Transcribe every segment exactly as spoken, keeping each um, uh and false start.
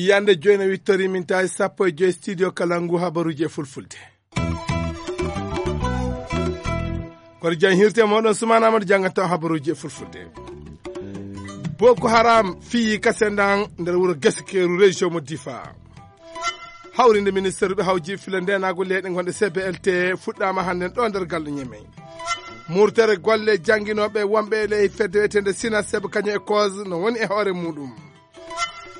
Yande joyi no wittori min tawi sappo e joyi studio kala ngu habaruji e fulfulde. Koto jan hirte moɗon sumana amadou jangata habaruji e fulfulde. Boko haram fiyi kasendan nder wuro gaske région mo difa. Hawrinde ministre ɓe hawji fila ndenago leyɗe gonɗe cblt fuɗɗama hannden ɗo nder galɗo ñemey. Murtere golle jannginoɓe wonɓe ley fedde wiyetende sina seb kañum e cause no woni e hoore muɗum.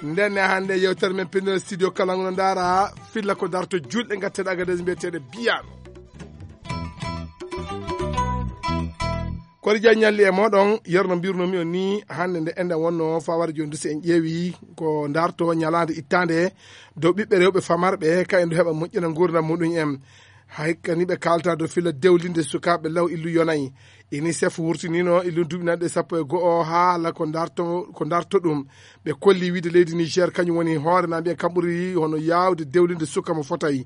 Ndenne hannde yewtere men pinnoɗe studio kala ngo no ndaara filla ko darto julɗe ngatteɗe agades mbiyeteɗe biyano. Kori jan ñalli e moɗon yerno mbirnomi on ni hannde nde enɗen wonno faware joni dusi en ƴeewi ko darto ñalande ittande dow ɓiɓɓe rewɓe famarɓe ka en du heɓa moƴƴina gurdam muɗum en. Hay kani ɓe kalta dow filla dewlinde sukaɓe law illu yonayi. Unicef wurtinino illu duɓinanɗe sappo e go'o haala ko darto ko darto ɗum. Ɓe kolli wiide leydi niger kañum woni hoore na mbiya kam ɓuri hono yawde dewlinde suka mo fotayi.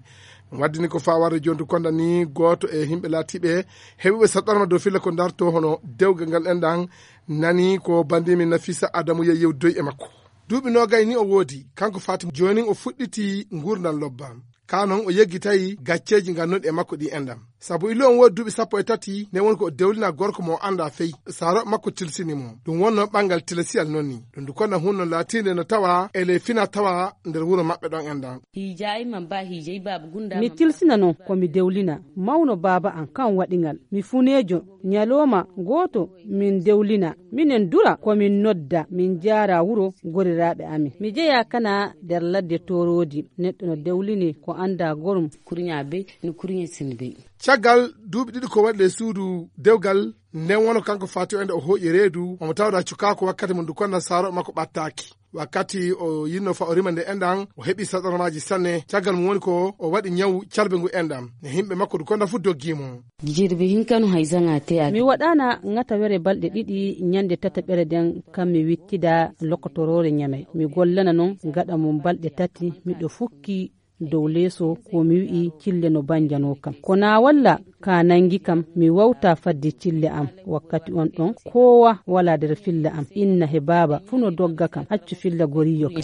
Waddini ko fawarde jontu konda ni goto e himɓe laatiɓe heɓuɓe saɗɗanma dow filla ko darto hono dewgal ngal enɗan. Nani ko bandimi nafisa adamu ya yewdoy e makko. Duuɓi nogay ni o woodi kanko fatima jonin o fuɗɗiti ngurdan lobba. Ka non o yeggitayi gacceeji ngannduɗi e makko ɗi enɗam. Sabu ilo on woodi duuɓi sappo e tati nde woni ko o dewlina gorko mo o annda fey. Saaro makko tilsini mo ɗum wonno ɓanngal tilasiyal non ni. Ɗum du konna hunno laatiinde no tawa e ley fina tawa nder wuro maɓɓe ɗon enɗam. Hiijayima ba hiijay baaba gunda mi tilsina non ko mi dewlina mawno baaba an kan waɗi ngal mi funeejo. Ñalooma gooto min dewlina minen dura ko min nodda min jaara wuro goriraaɓe amin mi jeya kana nder ladde toroodi. Neɗɗo no dewlini ko annda gorum. Kurña bey no kurña sin bey. Caggal duuɓi ɗiɗi ko waɗi ley suudu dewgal nden wono kanko fati o ende o hooƴi reedu omo tawda cukaako wakkati mo ndu konna saaro makko ɓattaaki. Wakkati o yinno fa o rima nde enɗan o heɓi saɗarmaji sanne caggal mum woni ko o waɗi ñawu calbe ngu enɗan ne yimɓe makko du konda fu doggimo. Jirbi hinkanu hay zanga te a mi waɗana gatawere balɗe ɗiɗi ñande tataɓere nden kam mi wittida lokotorore ñamey mi gollana non gaɗa mum balɗe tati miɗo fukki dow leeso ko mi wi'i cille no banjano kam ko na walla ka nangi kam mi wawta fadde cille am. Wakkati on ɗon kowa wala nder filla am inna he baaba fu no dogga kam accu filla goriyo kam.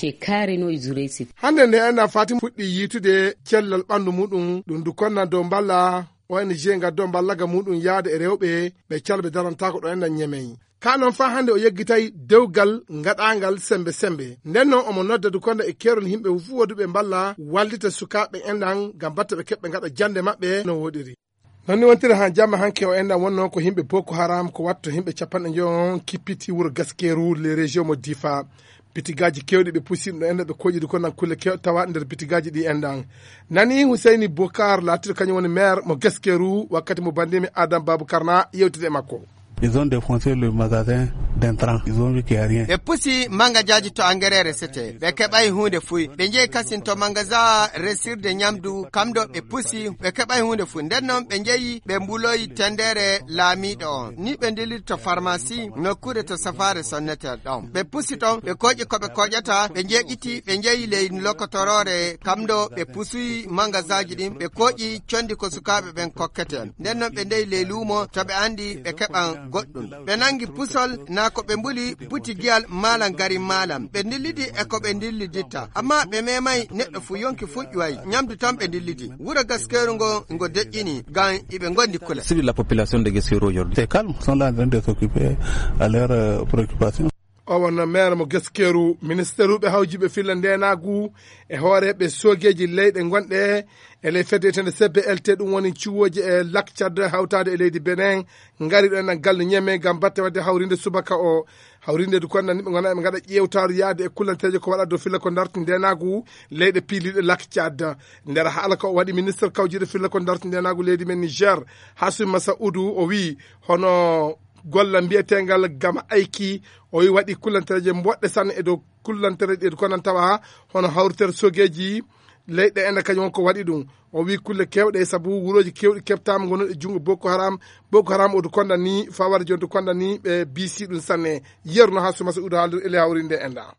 Hannde nde enɗan fatima fuɗɗi yiitude cellal ɓanndu muɗum ɗum du konna dow mballa ong gaddo mballaga muɗum yaade e rewɓe ɓe calɓe darantako ɗo enɗan ñemeyi. Ka non fa hannde o yeggitay dewgal ngaɗangal sembe sembe nden non omo nodda du konda e kerol yimɓe fuu woduɓe mballa wallita sukaaɓe enɗan ngam batta ɓe keɓɓe ngaɗa jannde maɓɓe no woɗiri. Non ni wontiri ha jamma hanke o enɗan wonno ko yimɓe boko haram ko watto yimɓe capanɗe njoyo on kippiti wuro gaskeru le région mo difa. Bitigaaji kewɗi ɓe pusi ɗum ɗo enɗan ɓe koƴidi ko nan kulle kewɗe tawa nder bitigaaji ɗi enɗan. Nani huseyni bokar laatiɗo kañum woni maire mo gaskeru wakkati mo bandimi adam babou karna yewtide e makko. Ils ont défoncé le magasin d'intrant. Ils ont vu qu'il y a rien. Ɓe pusi mangajaji to engrais resete ɓe keɓay hunde fuy ɓe jeeyi kasin to magasin resirde ñamdu kamɗo ɓe pusi ɓe keɓay hunde fuy nden non ɓe jeeyi ɓe mbuloyi tendere laamiɗo on ni ɓe ndiliri to pharmacie nokkuure to safare sonnete ɗon ɓe pusi ɗon ɓe koƴi ko ɓe koƴata ɓe jeeƴiti ɓe jeeyi ley lokotorore kamɗo ɓe pusuyi mangasinji ɗin ɓe koƴi condi ko sukaaɓe ɓen kokkete. Nden non ɓe ndeyi ley luumo to ɓe anndi ɓe keɓan goɗɗum. Ɓe nanngi pusol naa ko ɓe mbuli buti giyal maalam garin maalam ɓe ndillidi e ko ɓe ndilliditta ammaa ɓe meemayi neɗɗo fuu yonki fuu ƴuway ñamdu tan ɓe ndillidi. Wuro gaskeeru ngo ngo deƴƴini ngam iɓe ngondi kula. Civil la population de Guesquero aujourd'hui c'est calme sont là en train de s'occuper à leur euh, préoccupation. O wonno maire mo gaskeeru ministeruɓe hawjiɓe filla ndenagu e hooreɓe soogeeji leyɗe gonɗe e ley fedde etende cblt ɗum woni ciwooji e lakcad hawtaade e leydi benen ngari ɗo enen galle ñeme ngam batte wadde hawrinde subaka o. Hawrinde du konnan ɓe gona ɓe gaɗa ƴeewtaaru yaade e kullanteeje ko waɗa dow filla ko darti ndenagu leyɗe piiliɗe lakcad. Nder haala ko waɗi ministre kawjiɗo filla ko darti ndenagu leydi men niger, hasumi masaudu o wi hono golla mbiyetengal gama ayki o wi waɗi kullanteeje mboɗɗe sanne e dow kullantere ɗe konan tawa hono hawritere sogeeji leyɗe ene kañum won ko waɗi ɗum. O wi kulle kewɗe sabu wurooji kewɗi keɓtama gonuɗe junngo boko haram. Boko haram odu konda ni fawade jonto konda ni ɓe bisi ɗum sanne. Yerno ha suma so udo haalde ele hawrinde enda.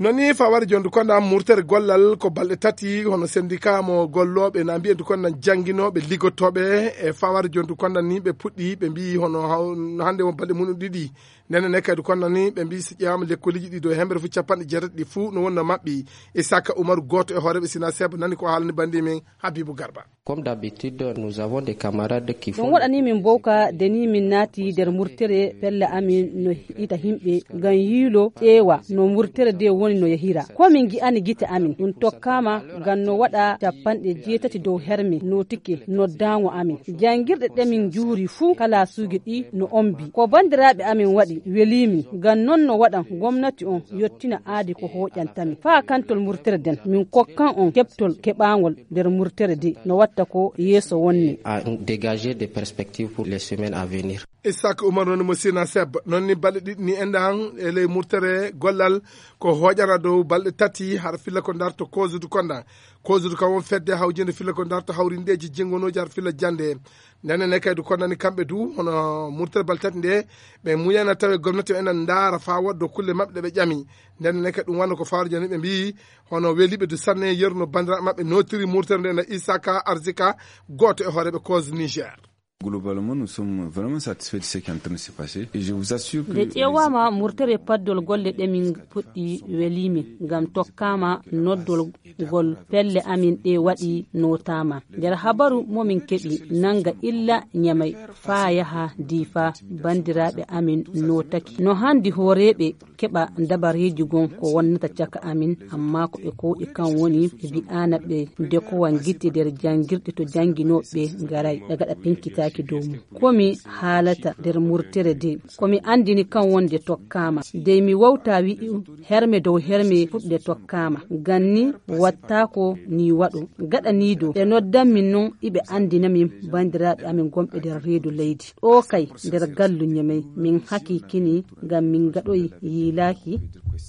Noon ni faware jondu konda murtere gollal ko balɗe tati hono sendika mo gollooɓe na mbiyen du konda jannginooɓe liggotooɓe e faware jondu konda ni ɓe puɗɗi ɓe mbiyi hono haw- hannde won balɗe mum ɗiɗi. Ndenen ne kadi konda ni ɓe mbiyi so ƴeewaama lekkoliji ɗi dow hemɓere fof capanɗe jeetati ɗi fuu no wonno maɓɓi. Isaka Umaru gooto e hooreeɓe Sina Seb nani ko haalani banndi men Habibu Garba. Comme d'habitude, nous avons des camarades qui ɗum font waɗani min mbowka de ni min naati nder murtere pelle amin no ita himɓe ngam yiilo ƴeewa no murtere de woni no yahira. Ko min ngi'ani gite amin ɗum tokkaama ngam no waɗa capanɗe jeetati dow herme notike noddaango amin. Janngirɗe ɗe min njuuri fuu kalaasuuji ɗi no ombi. Ko banndiraaɓe amin waɗi welii min ngam noon no waɗan gomnati on yottina aadi ko hooƴantamin. Faa kantol murtere den min kokkan on keɓtol keɓaangol nder murtere de no watta ko yeeso wonni. À dégager des perspectives pour les semaines à venir. Isaac Umar noon mo Sina Seb noon ni balɗe ɗiɗi ni enɗan e ley murtere gollal ko hooƴana dow balɗe tati har filla ko darto kosudu konda. Kosudu kam won fedde hawjinde filla ko darto hawrindeeji jingonooji har filla jannde. Ndenen ne kadi kondani kamɓe du hono murtere balɗe tati nde ɓe muyana tawe gomnati o enen ndaara faa woddo kulle maɓɓe ɗe ɓe ƴami. Ndenen ne kadi ɗum wano ko fawre jani ɓe mbiyi hono weliɓe du sanne yeru no banndiraaɓe maɓɓe notiri murtere nde no Isaka Arzika gooto e hooreeɓe cause Niger. Globalement, nous sommes vraiment satisfaits de ce qui est en train de se passer et je vous assure que nde ƴeewaama murtere paddol golle ɗe min puɗɗi weliimin ngam tokkaama noddol ngol pelle amin ɗe waɗi notaama nder habaru momin keɓi nanga illa ñamay faa yaha diifa banndiraaɓe amin notaki no handi hooreeɓe keɓa dabareeji gon ko wonnata caka amin amma ko ɓe kowɗi kan woni ɓe mbi'aana ɓe dekowa ngitte nder janngirɗe to jannginooɓe ngaray ɓe gaɗa pinkitaaki dow mum. Ko mi haalata nder murtere de ko mi anndini kan wonde tokkaama dey mi wawta wi'i herme dow herme fuɗde tokkaama ngam ni wattaako ni waɗo gaɗa ni dow ɓe noddan min non iɓe anndina min banndiraaɓe amin gonɓe nder reedu leydi ɗo kay nder gallu ñemey min hakikini ngam min gaɗoy yiilaaki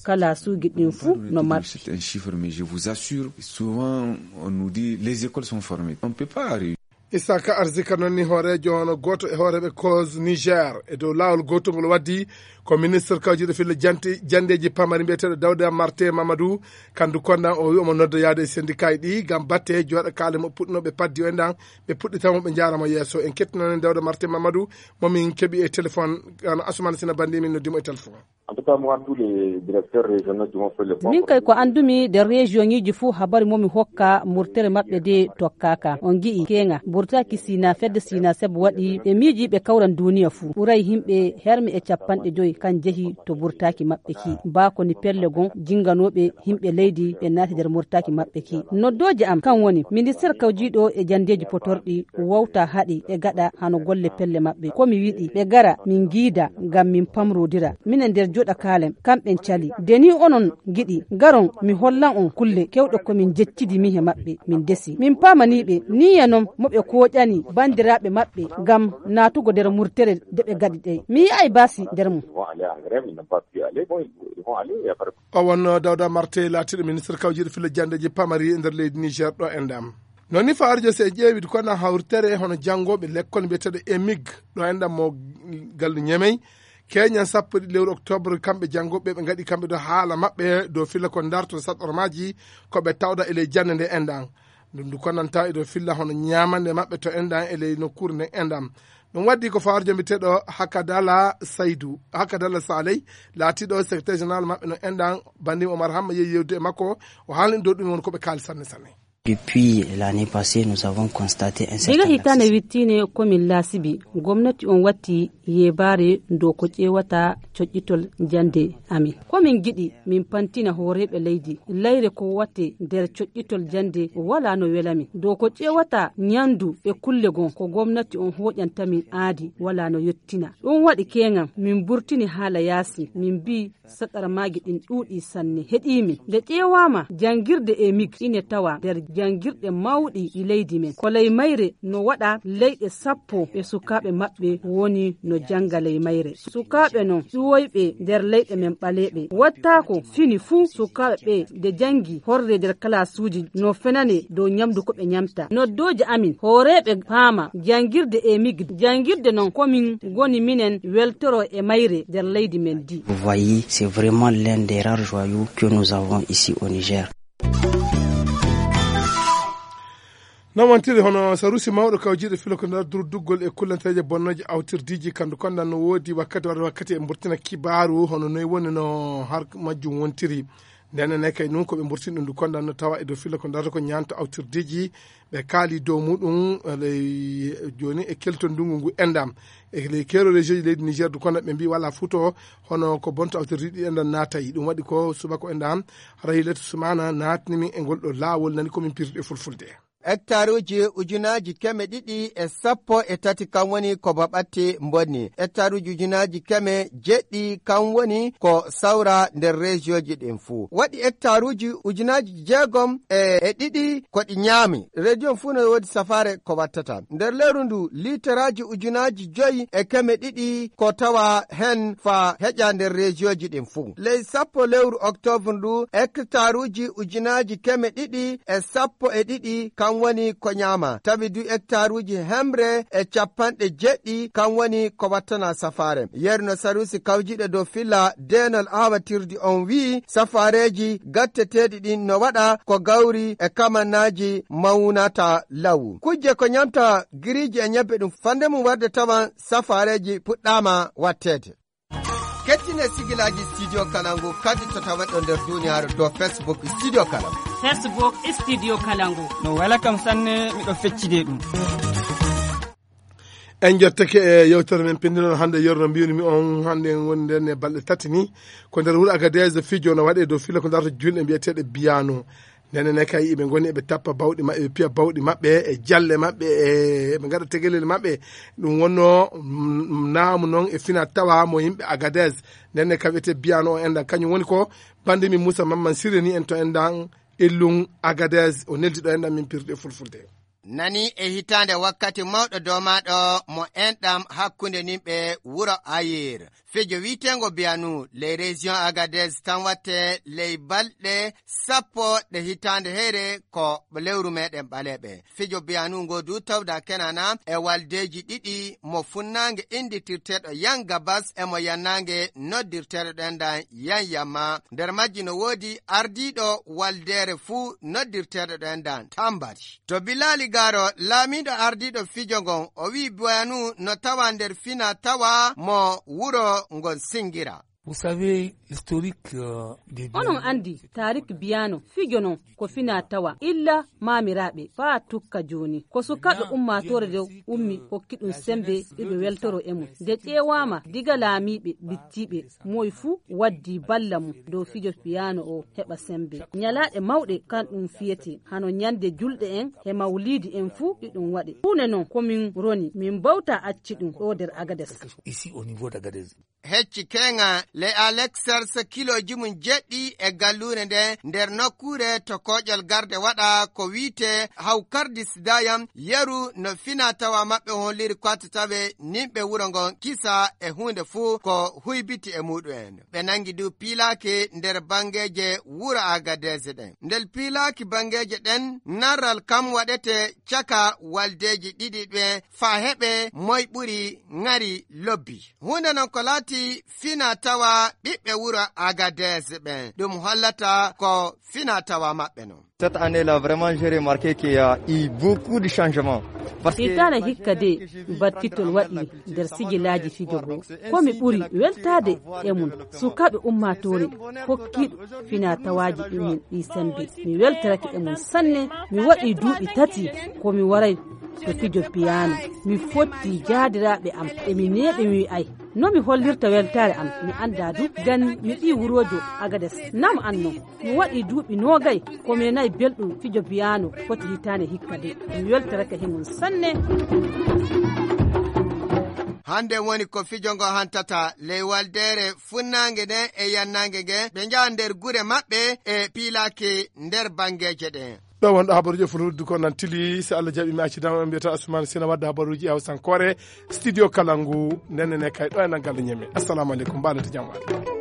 kalaasuuji ɗin fuu no marɗi. C'est un chiffre, mais je vous assure, souvent on nous dit les écoles sont fermées. On ne peut pas arriver. Isaka Arzika noon ni hooreejo hono gooto e hooreeɓe cause Niger e dow laawol gootol ngol waddi ko ministre kawjiiɗo filla jante janndeeji pamari mbiyeteeɗo Dawda Marte Mamadou. Kandu kondan o wi omo nodda yaade e syndicat ɗi ngam batte jooɗa kaale mo puɗɗinooɓe paddi o enɗan ɓe puɗɗitamo ɓe njaaramo yeeso en kettinani Dawda Marte Mamadou momin keɓi e téléphone. Ano Asumana Sina bandi min noddimo e téléphone. En tout cas, moi, tous les directeurs régionaux qui m'ont fait le point. Min kay ko anndumi nder région ŋiji fuu habari mo mi hokka murtere maɓɓe de tokkaaka on ngi'i keŋa burtaki sina fedde sina seb waɗi ɓe miiji ɓe kawran duniya fuu ɓuray himɓe hermi e capanɗe joyi kan jehi to burtaki maɓɓe ki baa ko ni pelle gon jinganooɓe himɓe leydi ɓe naati nder murtaki maɓɓe ki noddooje am kan woni minister kawjiiɗo e janndeeji potorɗi wowta haɗi ɓe gaɗa hano golle pelle maɓɓe ko mi wiɗi ɓe gara min ngiida ngam min pamrodira minen nder joɗa kalen kamɓen cali de ni onon giɗi garon mi hollan on kulle kewɗe ko min jeccidi mi he maɓɓe min desi min pamaniɓe niya non mo ɓe koƴani bandiraɓe maɓɓe ngam natugo nder murtere de ɓe gaɗi ɗey mi yi'ay basi nder mum. Ils vont aller en grève, ils n'ont pas pu aller. Bon, ils vont aller, il y a pas de o wonno dawda marte laatiɗo ministre kawjiɗo filla jandeji pamari e nder leydi niger ɗo e ndam. Noon ni fawarjo so e ƴeewide kono hawritere hono janngoɓe lekkol mbiyeteɗo emig ɗo e ndam mo gallu ñemey keñan sappo e ɗiɗi lewru octobre kamɓe janngoɓe ɓe ngaɗi kamɓe ɗo haala maɓɓe dow filla ko darto saɗormaji koɓe tawda e ley jannde nde enɗan. Ɗum ndu konnanta e dow filla hono ñamande maɓɓe to enɗan e ley nokkuure nden enɗan. Ɗum waddi ko fawarjo mbiyeteɗo hakadala saydu hakadala saley laatiɗo secrétaire général maɓɓe no enɗan bandim omar hamma yehi yewtude e makko. O haalni ɗum ɗum woni koɓe kaali sanne sanne. Depuis l'année passée, nous avons constaté un diga certain hitaande lassisme. Wittine komin laasibi gomnati on watti yebaare dow ko ƴeewata coƴƴitol jannde amin. Komin ngiɗi min pantina hooreeɓe leydi layre ko watte nder coƴƴitol jannde wala no welamin dow ko ƴeewata ñandu e kulle gon ko gomnati on hooƴantamin aadi wala no yottina. Ɗum waɗi keŋan min burtini haala yaasi min mbii saɗarmaaji ɗin ɗuuɗi sanne heɗimin nde ƴeewaama janngirde e mig ine tawa nder janngirɗe mawɗi ɗi leydi men. Ko ley mayre no waɗa leyɗe sappo e sukaaɓe maɓɓe woni no jannga ley mayre. Sukaaɓe non ƴuwoyɓe nder leyɗe men ɓaleeɓe. Wattaako fini fuu sukaaɓe ɓe nde janngi horre nder kalaasuuji no fenane dow ñamdu ko ɓe ñamta. Noddooje amin hooreeɓe paama janngirde e migde. Janngirde non ko min ngoni minen weltoro e mayre nder leydi men ndi. Vous voyez, c'est vraiment l'un des rares joyaux que nous avons ici au Niger. Nawantiri hono sarusi mawɗo kawjiiɗo filo ko nder durduggol e kullanteeje bonnooje awtirdiiji kandu kondan no woodi wakkati warde wakkati e mburtina kibaaru hono noy woni no har majjum wontiri. Ndenen ne kay nun ko ɓe mburtini ɗum ndu kondan no tawa e dow filo ko nder ko ñaanto awtirdiiji ɓe kaali dow muɗum ley jooni e kelto ndungu ngu endam e ley keero région ji leydi Niger du kondan ɓe mbi wala futo hono ko bonto awtirdiiji ɗi enɗan naatayi ɗum waɗi ko subako enɗan rahilat sumana naatni min e ngol ɗo laawol nani komin pirɗe fulfulde. Hectaruuji ujunaaji keme ɗiɗi e sappo e tati kam woni ko baɓatti mbonni. Hectaruuji ujunaaji keme jeɗɗi kam woni ko sawra nder reesiyooji ɗin fuu. Waɗi hectaruuji ujunaaji jeegom e ɗiɗi ko ɗi ñaami. Reediyo fuu no woodi safaare ko wattata. Nder lewru ndu, liitaraaji ujunaaji joyi e keme ɗiɗi ko tawa hen faa heƴa nder reesiyooji ɗin fuu. Ley sappo lewru oktoobar ndu, hectaruuji ujunaaji keme ɗiɗi e sappo e ɗiɗi, kam woni ko ñaama. Tawi du hectaruuji hemre e capanɗe jeɗɗi, kam woni ko wattana safaare. Yeru no sarusi kawjiiɗo dow filla deenol aawatirdi on wi'i, safaareeji gatteteeɗi ɗin no waɗa ko gawri e kamannaaji mawnata law. Kujje ko ñamta giriiji e ñebbe ɗum fande mum warde tawan safaareeji puɗɗaama watteede. Kettine sigilaaji Studio Kalangu kadi to taweɗo nder duniyaaru to Facebook Studio Kalangu. Facebook Studio Kalangu. No wela kam sanne, miɗo feccide ɗum. En jottake e yewtere men pinndinol hannde, yerno mbiyunimi on hannde en woni nden e balɗe tati ni. Ko nder wuro Agadez fijo no waɗe dow filo ko darta julɗe mbiyeteeɗe biyano. Ndenen ne kay iɓe ngoni eɓe tappa bawɗi maɓɓe, eɓe piya bawɗi maɓɓe e jalle maɓɓe, e ɓe ngaɗa tegelel maɓɓe. Ɗum wonno, mm, naamu noon e fina tawa mo yimɓe Agadez. Ndenne ka wiyetee biyano o enɗan, kañum woni ko bande min Moussa Mamman Siré ni en to enɗan Illum Agadez, o neldi ɗo enɗan min pirde fulfulde. Nani e hitaande wakkati mawɗo doomaaɗo mo enɗam hakkunde nimɓe wuro Ayir. Fijo wiiteengo Biyanu, ley région Agadez tan watte ley balɗe sappo ɗe hitaande heyre ko lewru meɗen ɓaleeɓe. Fijo Biyanu ngo du tawda kenana e waldeeji ɗiɗi mo funnaange innditirteeɗo Yan Gabas e mo yannaange noddirteeɗo ɗendan Yan Yamma. Nder majji no woodi ardiiɗo waldeere fuu noddirteeɗo ɗendan Tambari. To Bilali Garo, laamiiɗo ardiiɗo fijo ngon, o wi'i Biyanu no tawa nder fina tawa mo wuro ngon Singira. Vous savez, l'historique, euh, des Onon Biyano, anndi tarik Biyano, fijo non ko fina tawa illa maamiraaɓe faa tukka jooni. Ko sukaaɓe ummaatoore nde ummi hokki ɗum sembe iɓe weltoro e mum. Nde ƴeewaama diga laamiiɓe bittiiɓe, moy fuu waddi balla mum dow fijo Biyano o heɓa sembe. Ñalaaɗe mawɗe kan ɗum fiyete, hano ñande julɗe en he mawliidi en fuu iɗum waɗe. Huunde non ko min roni, min mbawta acci ɗum ɗo nder Agades. Ici au niveau d'Agadez. Hecci keŋa le Alexers kilooji mum jeɗɗi e galluure nde nder nokkuure to kooƴol garde waɗa ko wiite Hawkardis Dayam yeru no fina tawa maɓɓe holliri ko tawe nimɓe wuro ngon kisa e huunde fuu ko huybiti e muɗum en. Ɓe nangi du piilaaki nder banngeeje wuro Agadez ɗen. Ndel piilaaki banngeeje ɗen, narral kam waɗete caka waldeeji ɗiɗi ɗe faa heɓe moy ɓuri ŋari lobbi. Huunde non ko laati fina tawa ɓiɓɓe wuro Agadez ɓen. Ɗum hollata ko fina tawa maɓɓe non. Cette année-là, vraiment, j'ai remarqué qu'il y a eu beaucoup de changements. Parce que hitaana hikka de, battitol waɗi nder sigilaaji fijo goo. Ko mi ɓuri weltaade e mum, sukaaɓe ummaatoore kokkiiɗo fina tawaaji ɗi min ɗi sembe. Mi weltorake e mum sanne, mi waɗi duuɓi tati ko mi waray to fijo piyaano. Mi fotti jaadiraaɓe am, e mi neeɓi mi wi'ay no mi hollirta weltaare am. Mi anndaa du, ngam mi ɓii wuroojo Agades. Nam an non? Mi waɗi duuɓi noogay ko mi nanaay belɗum fijo piyaano foti hitaande hikka de. Mi weltorake he mum sanne. Hannde woni ko fijo ngo hantata ley waldeere funnaange nden e yannaange nge, ɓe njaha nder gure maɓɓe e piilaaki nder banngeeje ɗen. Ɗo wonɗo habaruuji e fulfulde ko nan tili, so Allah jaɓi mi accidama, ɓe mbiyata Ousmane Sina wadde habaruuji e hawsankoore, studio kala ngu, ndennene kay ɗo e nan galle ñeme. Assalamu aleykum, mbaɗoto jam waɗ.